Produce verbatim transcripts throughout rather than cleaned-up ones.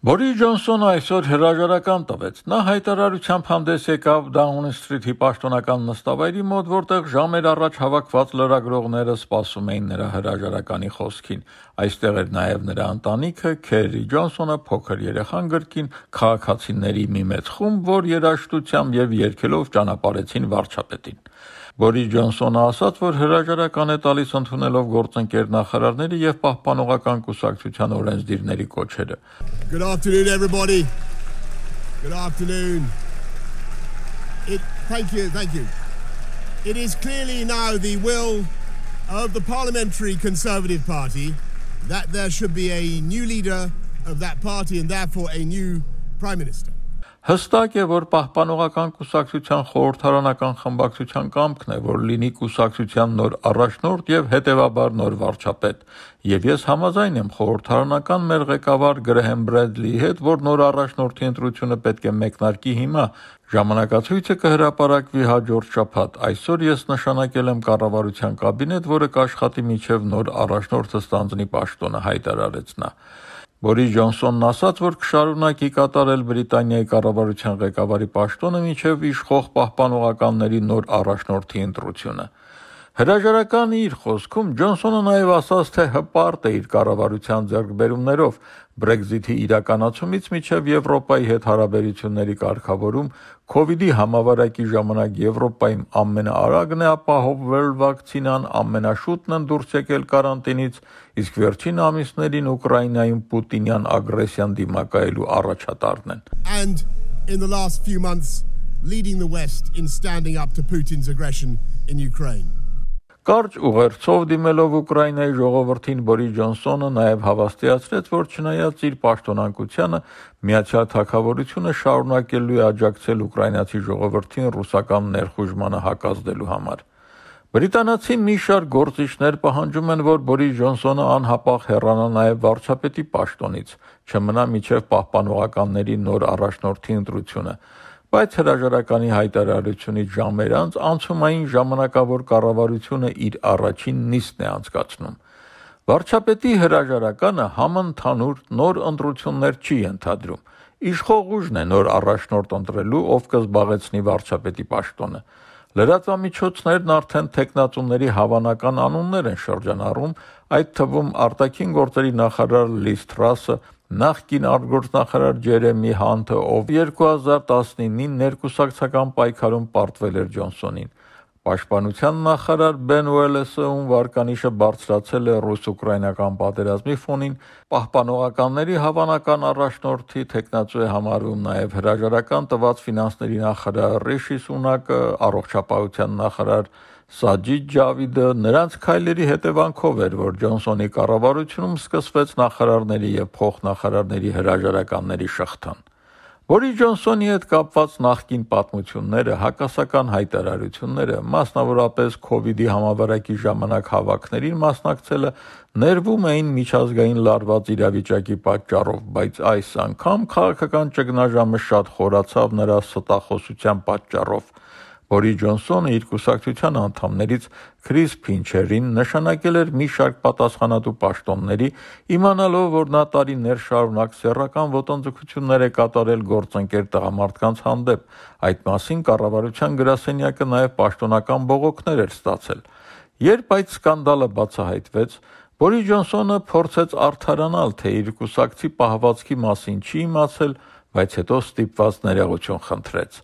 Բորիս Ջոնսոնը այսօր հրաժարական տվեց։ Նա հայտարարությամբ հանդես եկավ Դաունին Սթրիթի պաշտոնական նստավայրի մոտ, որտեղ ժամեր առաջ հավաքված լրագրողները սպասում էին նրա հրաժարականի խոսքին։ Այստեղ էր նաև նրա ընտանիքը, Քերի Ջոնսոնը, փոքր երեխան գրկին, քաղաքացիների մի մեծ խումբ, որ երաժշտությամբ եւ երգելով ճանապարհեցին վարչապետին։ Բորիս Ջոնսոնը ասաց, որ հրաժարական է տալիս ընդունելով գործընկեր նախարարների եւ պահպանողական կուսակցության օրենսդիրների կոչերը։ Good afternoon, everybody. Good afternoon. It, thank you, thank you. It is clearly now the will of the Parliamentary Conservative Party that there should be a new leader of that party and therefore a new Prime Minister. Հստակ է, որ պահպանողական կուսակցության խորհրդարանական խմբակցության կամքն է, որ լինի կուսակցության նոր առաջնորդ եւ հետեւաբար նոր վարչապետ։ Եվ ես համաձայն եմ խորհրդարանական մեր ղեկավար Գրեհեմ Բրեդլիի հետ, որ նոր առաջնորդի ընտրությունը պետք է մեկնարկի հիմա։ Ժամանակացույցը կհրապարակվի հաջորդ շաբաթ։ Այսօր ես նշանակել եմ կառավարության կաբինետ, որը կաշխատի մինչև նոր առաջնորդը ստանձնի պաշտոնը, հայտարարեց նա։ Բորիս Ջոնսոնն ասաց, որ կշարունակի կատարել Բրիտանիայի կառավարության ղեկավարի պաշտոնը մինչև իշխող պահպանողականների նոր առաջնորդի ընտրությունը։ Հրաժարականի իր խոսքում Ջոնսոնը նաև ասաց, թե հպարտ է իր կառավարության ձեռքբերումներով Brexit-ի իրականացումից մինչև Եվրոպայի հետ հարաբերությունների կարգավորում, Քովիդի համավարակի ժամանակ Եվրոպայում ամենաարագն է ապահովվել վակցինան, ամենաշուտն են դուրս եկել կարանտինից, իսկ վերջին ամիսներին Ուկրաինայում Պուտինյան ագրեսիան դիմակայելու առաջատարն են։ And in the last few months leading the West in standing up to Putin's aggression in Ukraine. Կարճ ուղերձով դիմելով Ուկրաինայի ժողովրդին Բորիս Ջոնսոնը նաև հավաստիացրեց, որ չնայած իր պաշտոնանկությանը Միացյալ Թագավորությունը շարունակելու է աջակցել ուկրաինացի ժողովրդին ռուսական ներխուժմանը հակազդելու համար։ Բրիտանացի մի շարք գործիչներ պահանջում են, որ Բորիս Ջոնսոնը անհապաղ հեռանա նաև վարչապետի պաշտոնից, չմնա մինչև պահպանողականների նոր առաջնորդի ընտրությունը։ Բայց հրաժարականի հայտարարությունից ժամեր անց անցումային ժամանակավոր կառավարությունը իր առաջին նիստն է անցկացնում։ Վարչապետի հրաժարականը համընդհանուր նոր ընտրություններ չի ենթադրում։ Իշխող ուժն է նոր առաջնորդ ընտրելու, ով կզբաղեցնի վարչապետի պաշտոնը։ Լրատվամիջոցներն արդեն թեկնածուների հավանական անուններ են շրջանառում, այդ թվում արտաքին գործերի նախարար Լիզ Թրասը, նախկին արտգործնախարար Ջերեմի Հանթը, ով երկու հազար տասնինին ներկուսակցական պայքարում պարտվել էր Ջոնսոնին։ Պաշտպանության նախարար Բեն Ուելեսը, ում վարկանիշը բարձրացել է ռուս-ուկրաինական պատերազմի ֆոնին, պահպանողականների հավանական առաջնորդի թեկնածու է համարվում նաև հրաժարական տված ֆինանսների նախարար Ռիշի Սունակը, առողջապահության նախարար Սաջիդ Ջավիդը։ Նրանց քայլերի հետևանքով էր, որ Ջոնսոնի կառավարությունում սկսվեց նախարարների եւ փոխնախարարների հրաժարականների շղթան։ Բորիս Ջոնսոնի հետ կապված նախկին պատմությունները, հակասական հայտարարությունները, մասնավորապես Քովիդի համավարակի ժամանակ հավաքներին մասնակցելը ներվում էին միջազգային լարված իրավիճակի պատճառով, բայց այս անգամ քաղաքական ճգնաժամը շատ խորացավ նրա ստախոսության պատճառով։ Բորիս Ջոնսոնը իր կուսակցության անդամներից Քրիս Փինչերին նշանակել էր մի շարք պատասխանատու պաշտոնների, իմանալով, որ նա տարիներ շարունակ սեռական ոտնձգություններ է կատարել գործընկեր տղամարդկանց հանդեպ։ Այդ մասին կառավարության գրասենյակը նաև պաշտոնական բողոքներ էր ստացել։ Երբ այդ սկանդալը բացահայտվեց, Բորիս Ջոնսոնը փորձեց արդարանալ, թե իր կուսակցի պահվածքի մասին չի իմացել, բայց հետո ստիպված ներողություն խնդրեց։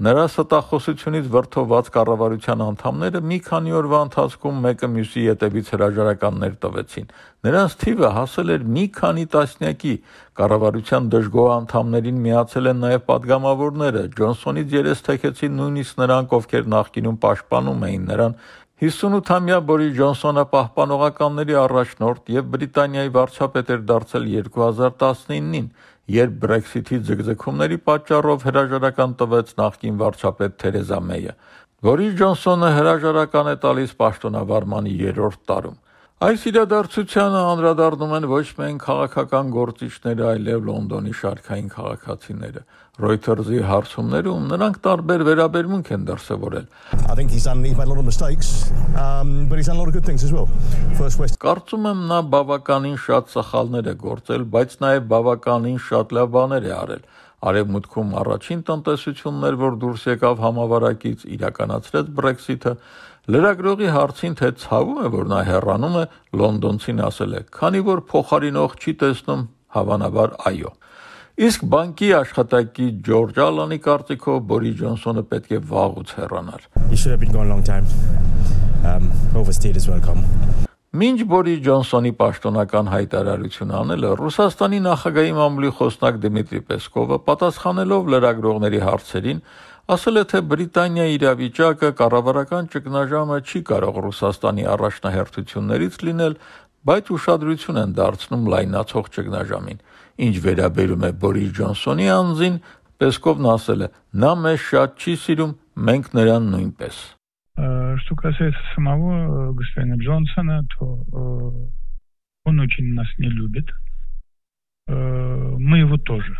Նրա ստախոսությունից վրդոված կառավարության անդամները մի քանի օրվա ընթացքում մեկը մյուսի ետևից հրաժարականներ տվեցին։ Նրանց թիվը հասել էր մի քանի տասնյակի։ Կառավարության դժգոհ անդամներին միացել են նաև падգամավորները։ Ջոնսոնից երես թեքեցին նույնիսկ նրանք, ովքեր նախկինում պաշտպանում էին նրան։ հիսունութամյա Բորիս Ջոնսոնը պահպանողականների առաջնորդ եւ Բրիտանիայի վարչապետ էր դարձել երկու հազար տասնինին, երբ Brexit-ի ձգձգումների պատճառով հրաժարական տվեց նախկին վարչապետ Թերեզա Մեյը։ Բորիս Ջոնսոնը հրաժարական է տալիս պաշտոնավարման երրորդ տարում։ Այս իրադարձությանը անդրադառնում են ոչ միայն քաղաքական գործիչները, այլև Լոնդոնի շարքային քաղաքացիները։ Reuters-ի հարցումներում նրանք տարբեր վերաբերմունք են դրսևորել։ I think he's done he's made a lot of mistakes, um, but he's done a lot of good things as well. First West Կարծում եմ նա բավականին շատ սխալներ է գործել, բայց նաև բավականին շատ լավ բաներ է արել։ Արևմուտքում առաջին տնտեսությունն էր, որ դուրս եկավ համավարակից, իրականացրեց Brexit-ը։ Լրագրողի հարցին, թե ցավում է, որ նա հեռանում է, լոնդոնցին ասել է, քանի որ փոխարինող չի տեսնում, հավանաբար այո։ Իսկ բանկի աշխատակի Ջորջ Ալանի կարծիքով Բորիս Ջոնսոնը պետք է վաղուց հեռանար։ he should have been gone a long time. Um, overstayed his welcome. Մինչ Բորիս Ջոնսոնի պաշտոնական հայտարարությունը անելը Ռուսաստանի նախագահի մամուլի խոսնակ Դմիտրի Պեսկովը պատասխանելով լրագրողների հարցերին ասել է, թե Բրիտանիայի իրավիճակը կառավարական ճգնաժամը չի կարող Ռուսաստանի առաջնահերթություններից լինել, բայց ուշադրություն են դարձնում լայնացող ճգնաժամին։ Ինչ վերաբերում է Բորիս Ջոնսոնի անձին, Պեսկովն ասել է, նա մեզ շատ չի сирում, մենք նրան նույնպես։ Что касается самого господина Джонсона, то он очень нас не любит. Мы его тоже.